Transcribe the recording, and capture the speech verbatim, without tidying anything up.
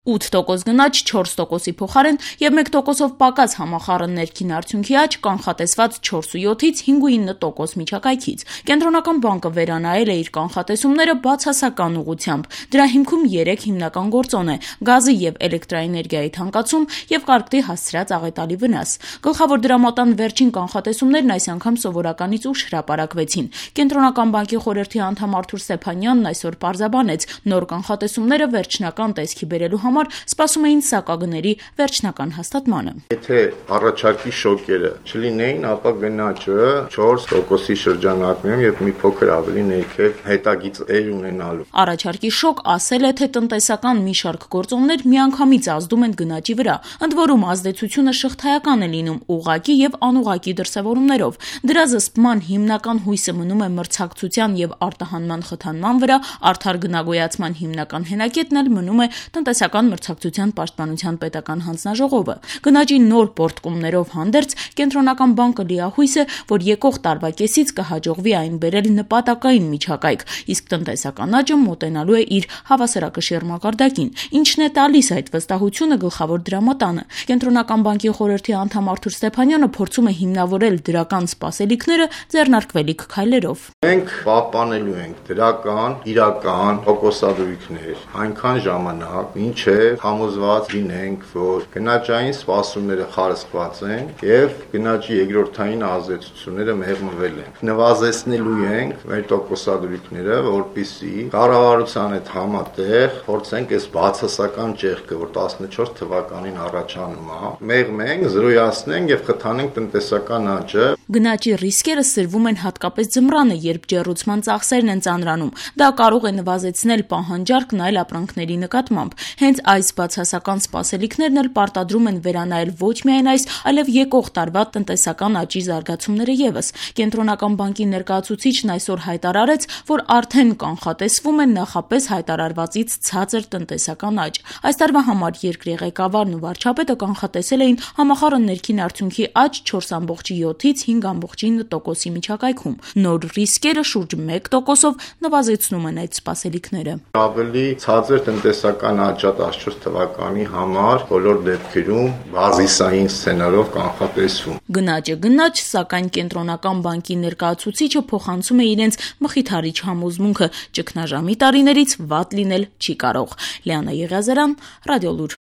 ութ տոկոս գնաճ չորս տոկոսի փոխարեն եւ մեկ տոկոսով պակաս համախառն ներքին արդյունքի աճ կանխատեսված չորսից ինը տոկոս միջակայքից։ Կենտրոնական բանկը վերանայել է իր կանխատեսումները բացասական ուղղությամբ։ Դրա հիմքում երեք հիմնական գործոն է՝ գազի եւ էլեկտրաէներգիայի թանկացում եւ կարգտի հասցրած աղետալի վնաս։ Գլխավոր դրամատան վերջին կանխատեսումներն այս անգամ սովորականից ուշ հրապարակվեցին։ Կենտրոնական բանկի խորհրդի անդամ Արթուր Ստեփանյանն այսօր պարզաբանեց, նոր կանխատեսումները վերջնական տեսքի բերելու համար սպասում էին սակագների վերջնական հաստատմանը։ Եթե առաջարկի շոկերը չլինեին, ապա գնաճը չորս տոկոսի շրջանակներում եւ մի փոքր ավելի ներքև հետագիծ էր ունենալու։ Առաջարկի շոկ ասել է, թե տնտեսական մի շարք գործոններ միանգամից ազդում են գնաճի վրա, ընդ որում ազդեցությունը շղթայական է լինում ուղղակի եւ անուղղակի դրսեւորումներով։ Դրա զսպման հիմնական հույսը մնում է մրցակցության եւ արտահանման խթանման վրա, արդար գնագոյացման հիմնական հենակետն էլ մնում է տնտեսական մրցակցության պաշտպանության պետական հանձնաժողովը։ Գնաճի նոր պորտկումներով հանդերձ կենտրոնական բանկը լիահույս է, որ եկող տարվա կեսից կհաջողվի այն բերել նպատակային միջակայք, իսկ տնտեսական աճը մոտենալու է իր հավասարակշիռ մակարդակին։ Ինչն է տալիս այդ վստահությունը գլխավոր դրամատանը։ Կենտրոնական բանկի խորհրդի անդամ Արթուր Ստեփանյանը փորձում է հիմնավորել դրական սպասելիքները ձեռնարկվելիք քայլերով։ Մենք պահպանելու ենք դրական, իրական տոկոսադրույքներ այնքան ժամանակ, մինչև համոզված լինենք, որ գնաճային սպասումները խարսխված են եւ գնաճի երկրորդային ազդեցությունները մեղմվել են։ Նվազեցնելու ենք մեր տոկոսադրույքները, որպեսզի կառավարության հետ համատեղ փորձենք այս բացասական ճեղքը, որ տասնչորս թվականին առաջանում է, մեղմենք, զրոյացնենք եւ խթանենք տնտեսական աճը։ Գնաճի ռիսկերը սրվում են հատկապես ձմռանը, երբ ջեռուցման ծախսերն են ծանրանում։ Դա կարող է նվազեցնել պահանջարկն այլ ապրանքների նկատմամբ։ Հենց այս բացասական սպասելիքներն էլ պարտադրում են վերանայել ոչ միայն այս, այլև եկող տարվա տնտեսական աճի զարգացումները եւս։ Կենտրոնական բանկի ներկայացուցիչն այսօր հայտարարեց, որ արդեն կանխատեսվում է նախապես հայտարարվածից ցածր տնտեսական աճ։ Այս տարվա համար երկրի ղեկավարն ու վարչապետը կանխատեսել էին համախառն ներքին արդյունքի աճ չորս յոթից հինգ ինը տոկոսի միջակայքում։ Նոր ռիսկերը շուրջ մեկ տոկոսով նվազեցնում են այդ սպասելիքները։ Ավելի ցածր տնտեսական աճա տասնչորս թվականի համար բոլոր դեպքերում բազիսային սցենարով կանխատեսվում։ Գնաճը գնաճ, սակայն կենտրոնական բանկի ներկայացուցիչը փոխանցում է իրենց մխիթարիչ համոզմունքը՝ ճգնաժամի տարիներից վատ լինել չի կարող։ Լիանա Եղիազարյան, Ռադիոլուր։